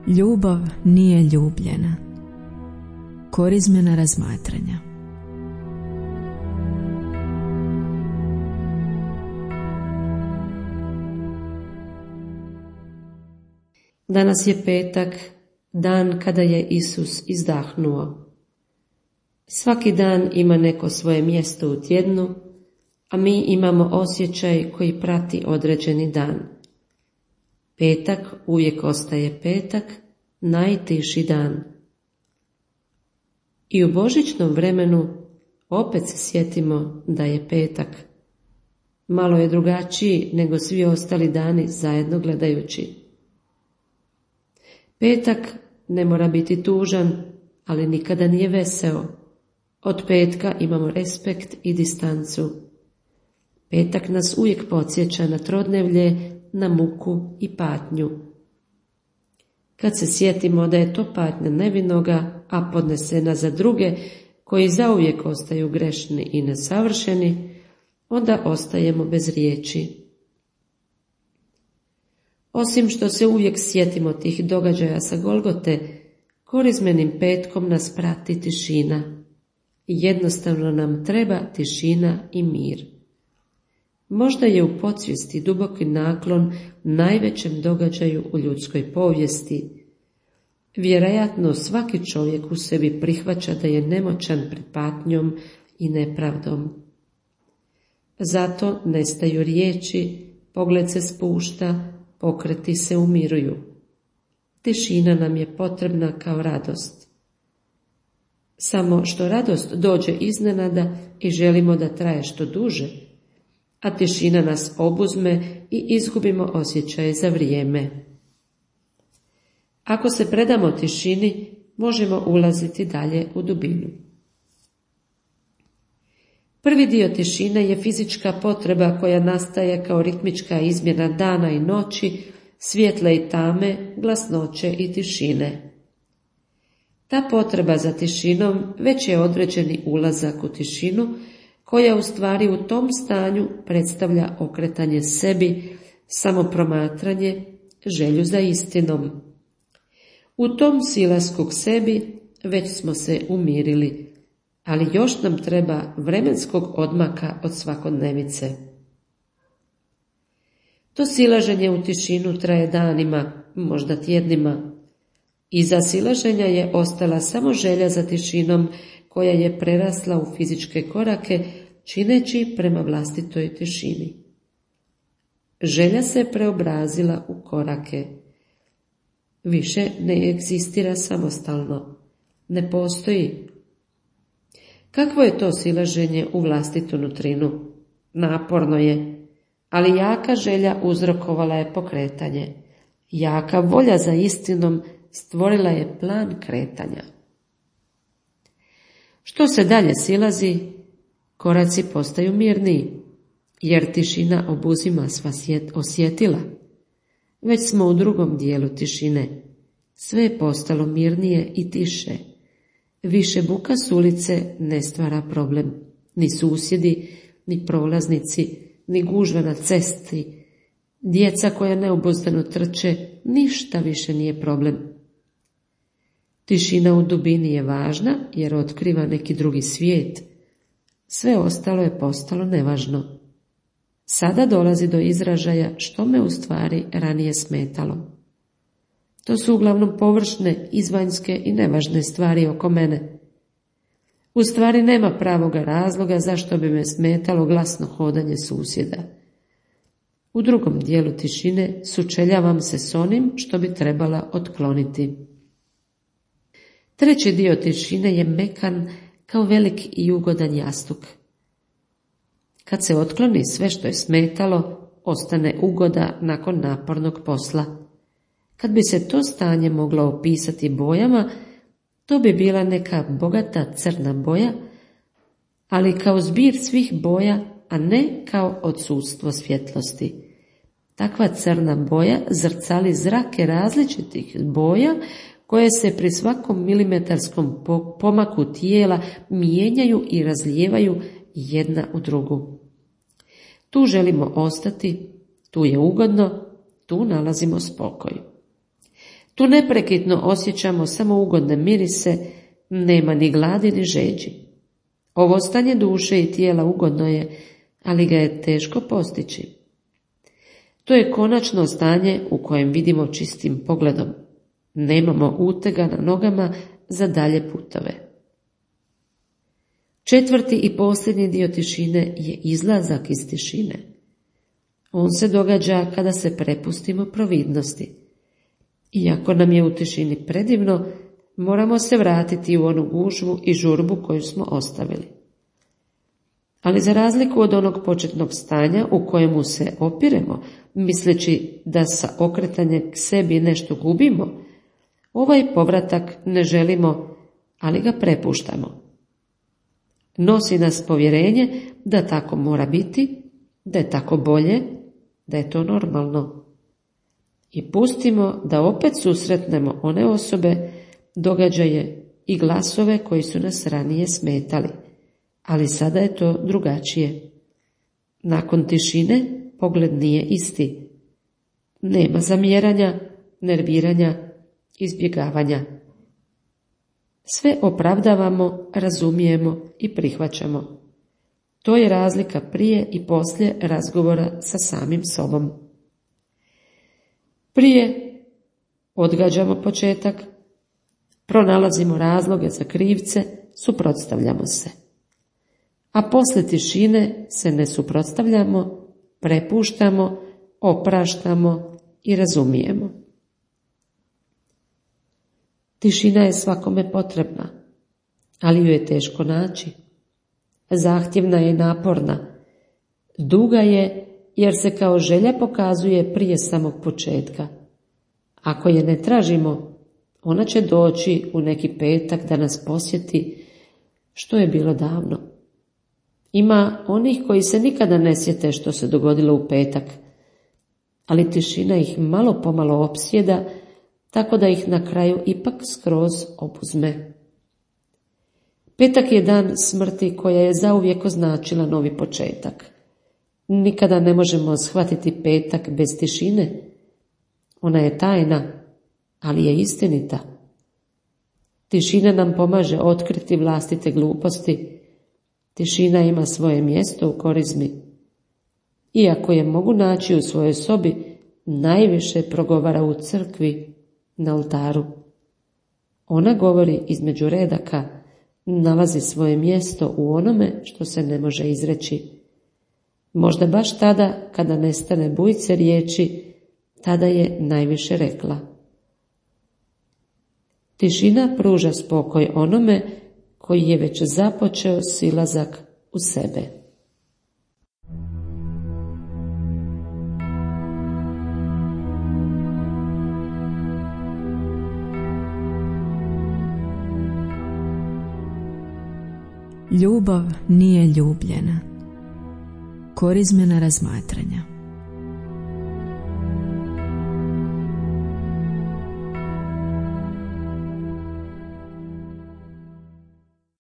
Ljubav nije ljubljena. Korizmena razmatranja. Danas je petak, dan kada je Isus izdahnuo. Svaki dan ima neko svoje mjesto u tjednu, a mi imamo osjećaj koji prati određeni dan. Petak uvijek ostaje petak, najtiši dan. I u božićnom vremenu opet se sjetimo da je petak. Malo je drugačiji nego svi ostali dani zajedno gledajući. Petak ne mora biti tužan, ali nikada nije veseo. Od petka imamo respekt i distancu. Petak nas uvijek podsjeća na trodnevlje, na muku i patnju. Kad se sjetimo da je to patnja nevinoga, a podnesena za druge, koji zauvijek ostaju grešni i nesavršeni, onda ostajemo bez riječi. Osim što se uvijek sjetimo tih događaja sa Golgote, korizmenim petkom nas prati tišina. Jednostavno nam treba tišina i mir. Možda je u podsvijesti duboki naklon najvećem događaju u ljudskoj povijesti. Vjerojatno svaki čovjek u sebi prihvaća da je nemoćan pred patnjom i nepravdom. Zato nestaju riječi, pogled se spušta, pokreti se umiruju. Tišina nam je potrebna kao radost. Samo što radost dođe iznenada i želimo da traje što duže, a tišina nas obuzme i izgubimo osjećaj za vrijeme. Ako se predamo tišini, možemo ulaziti dalje u dubinu. Prvi dio tišine je fizička potreba koja nastaje kao ritmička izmjena dana i noći, svjetla i tame, glasnoće i tišine. Ta potreba za tišinom već je određeni ulazak u tišinu, koja u stvari u tom stanju predstavlja okretanje sebi, samopromatranje, želju za istinom. U tom silasku k sebi već smo se umirili, ali još nam treba vremenskog odmaka od svakodnevice. To silaženje u tišinu traje danima, možda tjednima. Iza silaženja je ostala samo želja za tišinom koja je prerasla u fizičke korake, čineći prema vlastitoj tišini. Želja se preobrazila u korake. Više ne egzistira samostalno, ne postoji. Kakvo je to silaženje u vlastitu nutrinu? Naporno je, ali jaka želja uzrokovala je pokretanje. Jaka volja za istinom stvorila je plan kretanja. Što se dalje silazi, koraci postaju mirniji, jer tišina obuzima sva osjetila. Već smo u drugom dijelu tišine. Sve je postalo mirnije i tiše. Više buka s ulice ne stvara problem. Ni susjedi, ni prolaznici, ni gužva na cesti, djeca koja neobuzdano trče, ništa više nije problem. Tišina u dubini je važna jer otkriva neki drugi svijet. Sve ostalo je postalo nevažno. Sada dolazi do izražaja što me u stvari ranije smetalo. To su uglavnom površne, izvanjske i nevažne stvari oko mene. U stvari nema pravoga razloga zašto bi me smetalo glasno hodanje susjeda. U drugom dijelu tišine sučeljavam se s onim što bi trebala otkloniti. Treći dio tišine je mekan kao velik i ugodan jastuk. Kad se otkloni sve što je smetalo, ostane ugoda nakon napornog posla. Kad bi se to stanje moglo opisati bojama, to bi bila neka bogata crna boja, ali kao zbir svih boja, a ne kao odsustvo svjetlosti. Takva crna boja zrcali zrake različitih boja koje se pri svakom milimetarskom pomaku tijela mijenjaju i razlijevaju jedna u drugu. Tu želimo ostati, tu je ugodno, tu nalazimo spokoj. Tu neprekidno osjećamo samo ugodne mirise, nema ni gladi ni žeđi. Ovo stanje duše i tijela ugodno je, ali ga je teško postići. To je konačno stanje u kojem vidimo čistim pogledom. Nemamo utega na nogama za dalje putove. Četvrti i posljednji dio tišine je izlazak iz tišine. On se događa kada se prepustimo providnosti. Iako nam je u tišini predivno, moramo se vratiti u onu gužvu i žurbu koju smo ostavili. Ali za razliku od onog početnog stanja u kojemu se opiremo, misleći da sa okretanjem k sebi nešto gubimo, ovaj povratak ne želimo, ali ga prepuštamo. Nosi nas povjerenje da tako mora biti, da je tako bolje, da je to normalno. I pustimo da opet susretnemo one osobe, događaje i glasove koji su nas ranije smetali, ali sada je to drugačije. Nakon tišine pogled nije isti. Nema zamjeranja, nerviranja, izbjegavanja. Sve opravdavamo, razumijemo i prihvaćamo. To je razlika prije i poslije razgovora sa samim sobom. Prije odgađamo početak, pronalazimo razloge za krivce, suprotstavljamo se. A poslije tišine se ne suprotstavljamo, prepuštamo, opraštamo i razumijemo. Tišina je svakome potrebna, ali ju je teško naći. Zahtjevna je i naporna. Duga je jer se kao želja pokazuje prije samog početka. Ako je ne tražimo, ona će doći u neki petak da nas posjeti, što je bilo davno. Ima onih koji se nikada ne sjete što se dogodilo u petak, ali tišina ih malo pomalo opsjeda, tako da ih na kraju ipak skroz opuzme. Petak je dan smrti koja je zauvijek označila novi početak. Nikada ne možemo shvatiti petak bez tišine. Ona je tajna, ali je istinita. Tišina nam pomaže otkriti vlastite gluposti. Tišina ima svoje mjesto u korizmi. Iako je mogu naći u svojoj sobi, najviše progovara u crkvi, na oltaru. Ona govori između redaka, nalazi svoje mjesto u onome što se ne može izreći. Možda baš tada, kada nestane bujice riječi, tada je najviše rekla. Tišina pruža spokoj onome koji je već započeo silazak u sebe. Ljubav nije ljubljena. Korizmena razmatranja.